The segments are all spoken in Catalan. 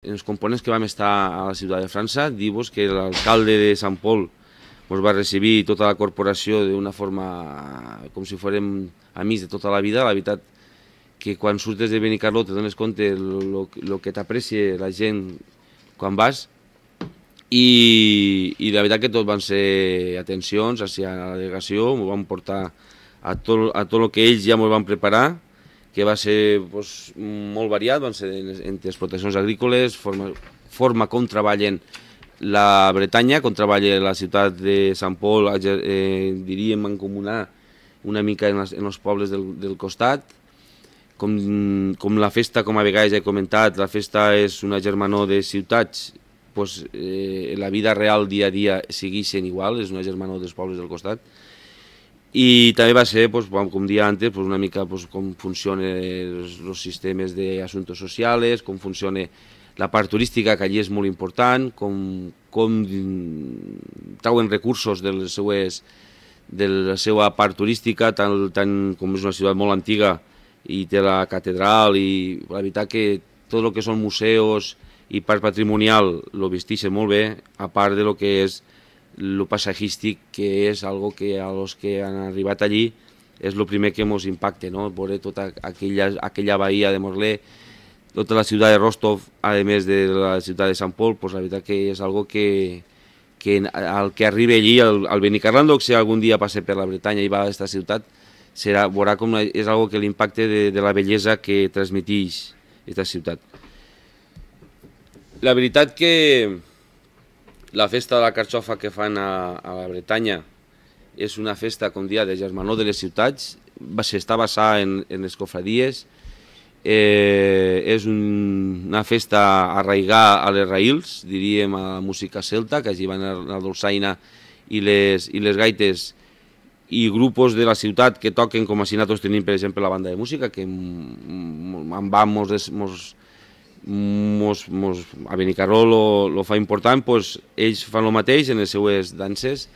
En els components que vam estar a la ciutat de França, dir-vos que l'alcalde de Sant Pol ens va recibir tota la corporació d'una forma com si fórem amics de tota la vida. La veritat que quan surtes de Benicarló te dones compte el que t'aprecia la gent quan vas, i la veritat que tot van ser atencions hacia la delegació, ens van portar a tot el que ells ja ens van preparar, que va ser molt variat, van ser entre explotacions agrícoles, forma com treballen la Bretanya, com treballa la ciutat de Sant Pol, diríem mancomunar una mica en els pobles del costat, com la festa, com a vegades ja he comentat, la festa és una germanor de ciutats, la vida real dia a dia segueixen igual, és una germanor dels pobles del costat. I també va ser, com dia antes, una mica com funcionen els sistemes d'assumptes socials, com funciona la part turística, que allí és molt important, com trauen recursos de la seva part turística, tant com és una ciutat molt antiga i té la catedral, i la veritat que tot el que són museus i part patrimonial lo vesteixen molt bé, a part de lo que és lo paisatgístic, que és algo que a los que han arribat allí és el primer que ens impacta, no? Veure tota aquella bahia de Morlaix, tota la ciutat de Rostov, a més de la ciutat de Sant Pol, la veritat que és algo que al que arribi allí, al Benicarló, si algun dia passa per la Bretanya i va a aquesta ciutat, veurà com és algo que l'impacte de la bellesa que transmeteix aquesta ciutat. La veritat que la festa de la carxofa que fan a la Bretanya és una festa, com dia, de germanor de les ciutats, està basada en les cofradies, és una festa arraigada a les raïls, diríem a la música celta, que allí van la dolçaina i les gaites, i grupos de la ciutat que toquen, com així nosaltres tenim, per exemple, la banda de música, que en va a Benicarló lo fa important, ells fan el mateix en les seues danses,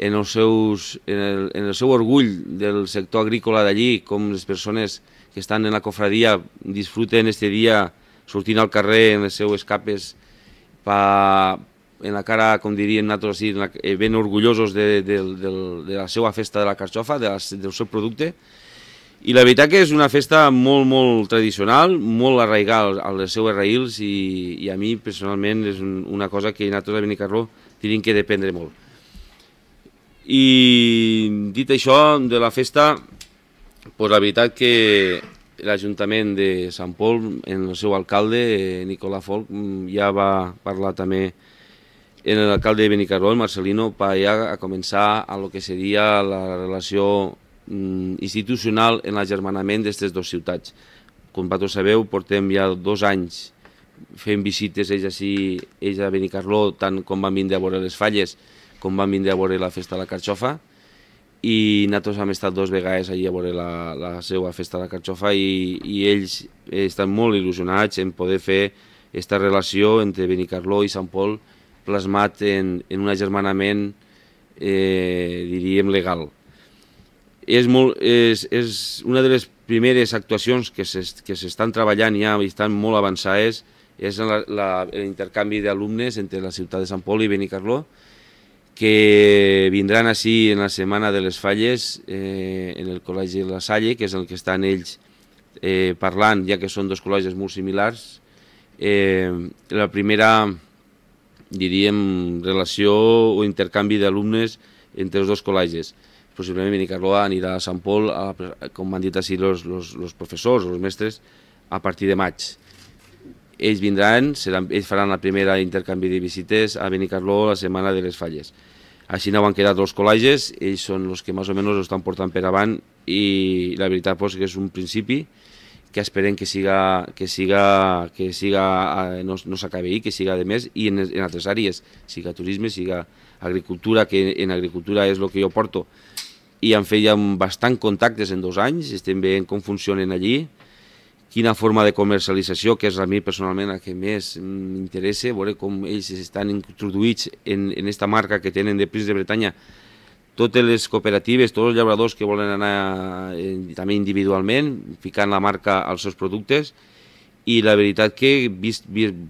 en el seu orgull del sector agrícola d'allí, com les persones que estan en la cofradia disfruten este dia sortint al carrer en les seues capes en la cara, com diríem nosaltres, ben orgullosos de la seva festa de la carxofa, del seu producte. I la veritat que és una festa molt, molt tradicional, molt arraigada a les seues raïls, i a mi personalment és una cosa que nosaltres a Benicarló tenim que dependre molt. I dit això de la festa, la veritat que l'Ajuntament de Sant Pol, en el seu alcalde, Nicolà Folch, ja va parlar també en l'alcalde de Benicarló, el Marcelino, per ja a començar a lo que seria la relació institucional en l'agermanament d'aquestes dues ciutats. Com vosaltres sabeu, portem ja 2 anys fent visites ells a Benicarló, tant com van vindre a veure les falles com van vindre a veure la festa de la carxofa, i nosaltres hem estat 2 vegades allà a veure la seva festa de la carxofa, i ells estan molt il·lusionats en poder fer aquesta relació entre Benicarló i Sant Pol plasmat en un agermanament, diríem, legal. És una de les primeres actuacions que s'estan treballant ja i estan molt avançades, és l'intercanvi d'alumnes entre la ciutat de Sant Pol i Benicarló, que vindran així en la setmana de les falles en el Col·legi de la Salle, que és el que estan ells parlant, ja que són 2 col·legis molt similars. La primera, diríem, relació o intercanvi d'alumnes entre els 2 col·legis. Possiblement Benicarló anirà a Sant Pol, com han dit així els professors o els mestres, a partir de maig. Ells vindran, ells faran la primera intercanvi de visites a Benicarló la setmana de les falles. Així no han quedat els col·legis, ells són els que més o menys ho estan portant per avant, i la veritat que és un principi que esperem que no s'acabi ahir, que siga de més, i en altres àrees, siga turisme, siga agricultura, que en agricultura és el que jo porto, i han fet ja bastant contactes en 2 anys, estem veient com funcionen allí, quina forma de comercialització, que és a mi personalment el que més m'interessa, veure com ells estan introduïts en aquesta marca que tenen de Prins de Bretanya, totes les cooperatives, tots els llauradors que volen anar també individualment, ficant la marca als seus productes, i la veritat que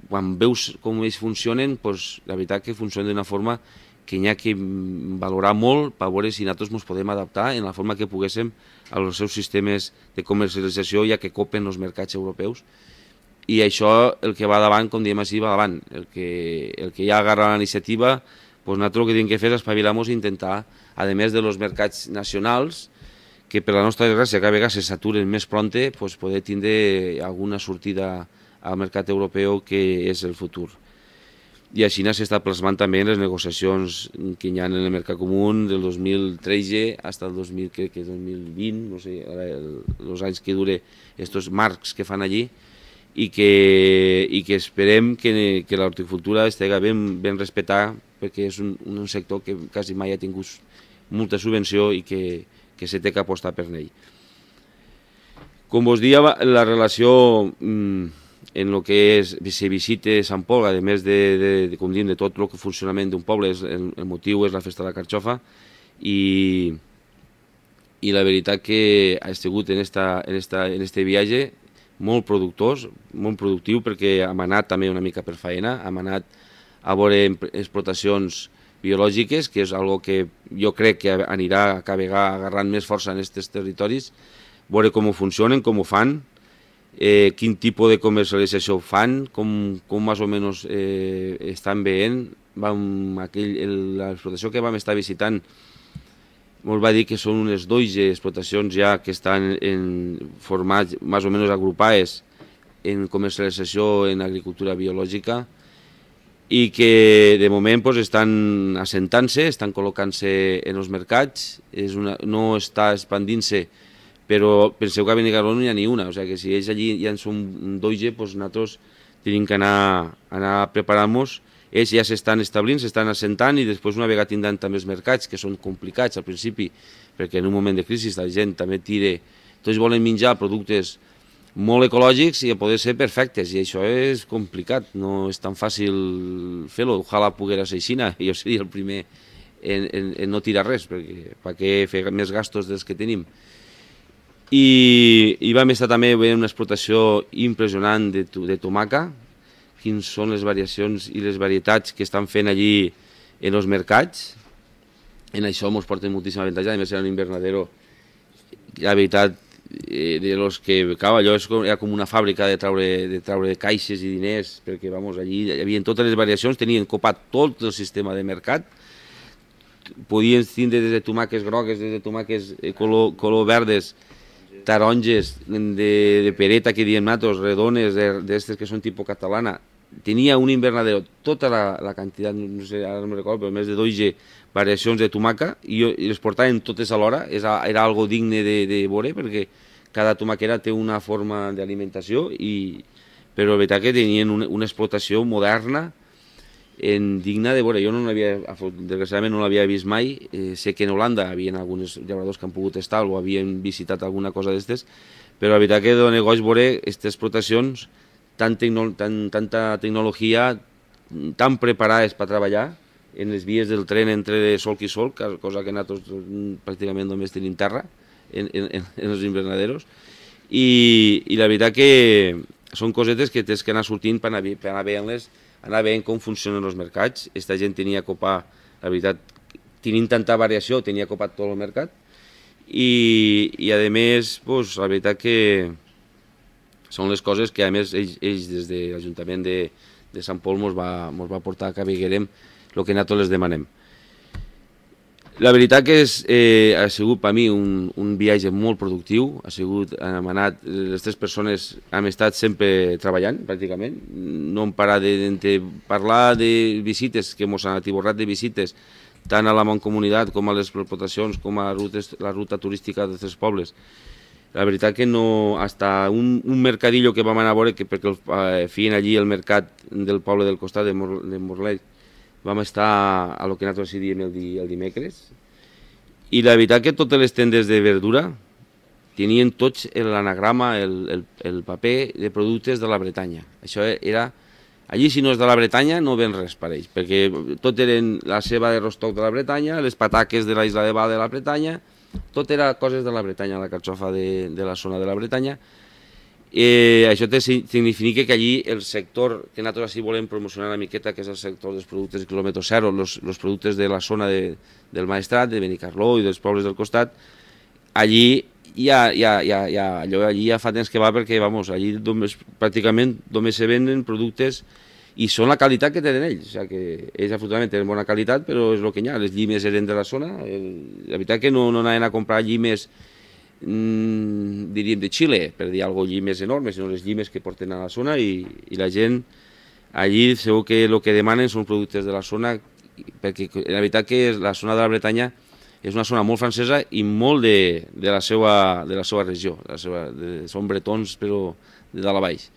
quan veus com ells funcionen, doncs, la veritat que funcionen d'una forma que n'hi ha que valorar molt per veure si nosaltres ens podem adaptar en la forma que poguéssim als seus sistemes de comercialització, ja que copen els mercats europeus. I això, el que va davant, com diem així, va davant. El que ja agarra la iniciativa, doncs nosaltres el que tenim que fer és espavilar-nos i intentar, a més dels mercats nacionals, que per la nostra desgràcia cada vegada se saturen més pronte, doncs poder tindre alguna sortida al mercat europeu, que és el futur. I així s'està plasmant també en les negociacions que hi ha en el mercat comú del 2013 fins al 2020, no sé, els anys que dure aquests marcs que fan allí, i que esperem que l'horticultura estigui ben respectada, perquè és un sector que quasi mai ha tingut molta subvenció i que se té que apostar per ell. Com vos dia, la relació en el que se visita Sant Pol, a més com diem, de tot el funcionament d'un poble, el motiu és la festa de la carxofa, i la veritat que ha estat en este viatge molt productors, molt productiu, perquè hem anat també una mica per feina, hem anat a veure explotacions biològiques, que és algo que jo crec que anirà cada vegada agarrant més força en aquests territoris, veure com funcionen, com ho fan, quin tipus de comercialització fan, com més o menys estan veient. L'explotació que vam estar visitant ens va dir que són unes 12 explotacions ja que estan formats, més o menys agrupades en comercialització en agricultura biològica, i que de moment estan assentant-se, estan col·locant-se en els mercats, no està expandint-se, però penseu que a Benicarló no n'hi ha ni una, o sigui que si ells allí ja en són 12, nosaltres tenim que anar preparant-nos. Ells ja s'estan establint, s'estan assentant, i després una vegada tindran també els mercats, que són complicats al principi, perquè en un moment de crisi la gent també tira, tots volen menjar productes molt ecològics i a poder ser perfectes, i això és complicat, no és tan fàcil fer-ho. Ojalà poguera ser així, jo seria el primer en no tirar res, perquè per què fer més gastos dels que tenim. I vam estar també veient una explotació impressionant de tomaca, quines són les variacions i les varietats que estan fent allí en els mercats. En això ens porten moltíssima avantatge, a més era un invernadero, la veritat, de los que, clar, allò era com una fàbrica de treure caixes i diners, perquè allí hi havia totes les variacions, tenien copat tot el sistema de mercat, podien tindre des de tomaques grogues, des de tomaques color verdes, taronges de pereta, que diem nosaltres, redones, d'estes que són tipus catalana. Tenia un invernadero, tota la quantitat, no sé, ara no me'n recordo, però més de 12 variacions de tomaca, i les portaven totes alhora. Era algo digne de veure, perquè cada tomaquera té una forma d'alimentació, però la veritat que tenien una explotació moderna, digna de veure. Jo desgraciadament no l'havia vist mai. Sé que en Holanda hi havia alguns llauradors que han pogut estar o havien visitat alguna cosa d'estes, però la veritat que dona goig veure aquestes explotacions, tanta tecnologia, tan preparades per treballar en les vies del tren entre solc i solc, cosa que nosaltres pràcticament només tenim terra en els invernaderos, i la veritat que són cosetes que tens que anar sortint per anar veient-les, anar veient com funcionen els mercats. Aquesta gent tenia copat, la veritat, tenint tanta variació, tenia copat tot el mercat, i a més, la veritat que són les coses que a més ells des de l'Ajuntament de Sant Pol ens va portar que veguerem el que nosaltres les demanem. La veritat que ha sigut per mi un viatge molt productiu. Hem anat, les 3 persones hem estat sempre treballant, pràcticament. No hem parat de parlar de visites, que ens han atiborrat de visites, tant a la Mancomunitat com a les explotacions, com a la ruta turística dels 3 pobles. La veritat que no, hasta un mercadillo que vam anar a veure, perquè feien allí el mercat del poble del costat de Morlet, vam estar a lo que nosaltres diem el dimecres, i la veritat que totes les tendes de verdura tenien tots l'anagrama, el paper de productes de la Bretanya. Això era, allí si no és de la Bretanya no ven res per ells, perquè tot eren la ceba de rostoc de la Bretanya, les pataques de la Isla de Val de la Bretanya, tot era coses de la Bretanya, la carxofa de la zona de la Bretanya, Això significa que allí el sector que nosaltres així volem promocionar una miqueta, que és el sector dels productes de quilòmetre zero, els productes de la zona del Maestrat, de Benicarló i dels pobles del costat, allí allí ja fa temps que va, perquè allí pràcticament només se venen productes i són la qualitat que tenen ells. O sigui que ells afortunadament tenen bona qualitat, però és el que hi ha. Les llimes eren de la zona. La veritat que no anaven a comprar llimes diríem de Xile, per dir alguna cosa, llimes enormes, sinó les llimes que porten a la zona, i la gent allí segur que el que demanen són productes de la zona, perquè la veritat que la zona de la Bretanya és una zona molt francesa i molt de la seva regió, són bretons però de dalt a baix.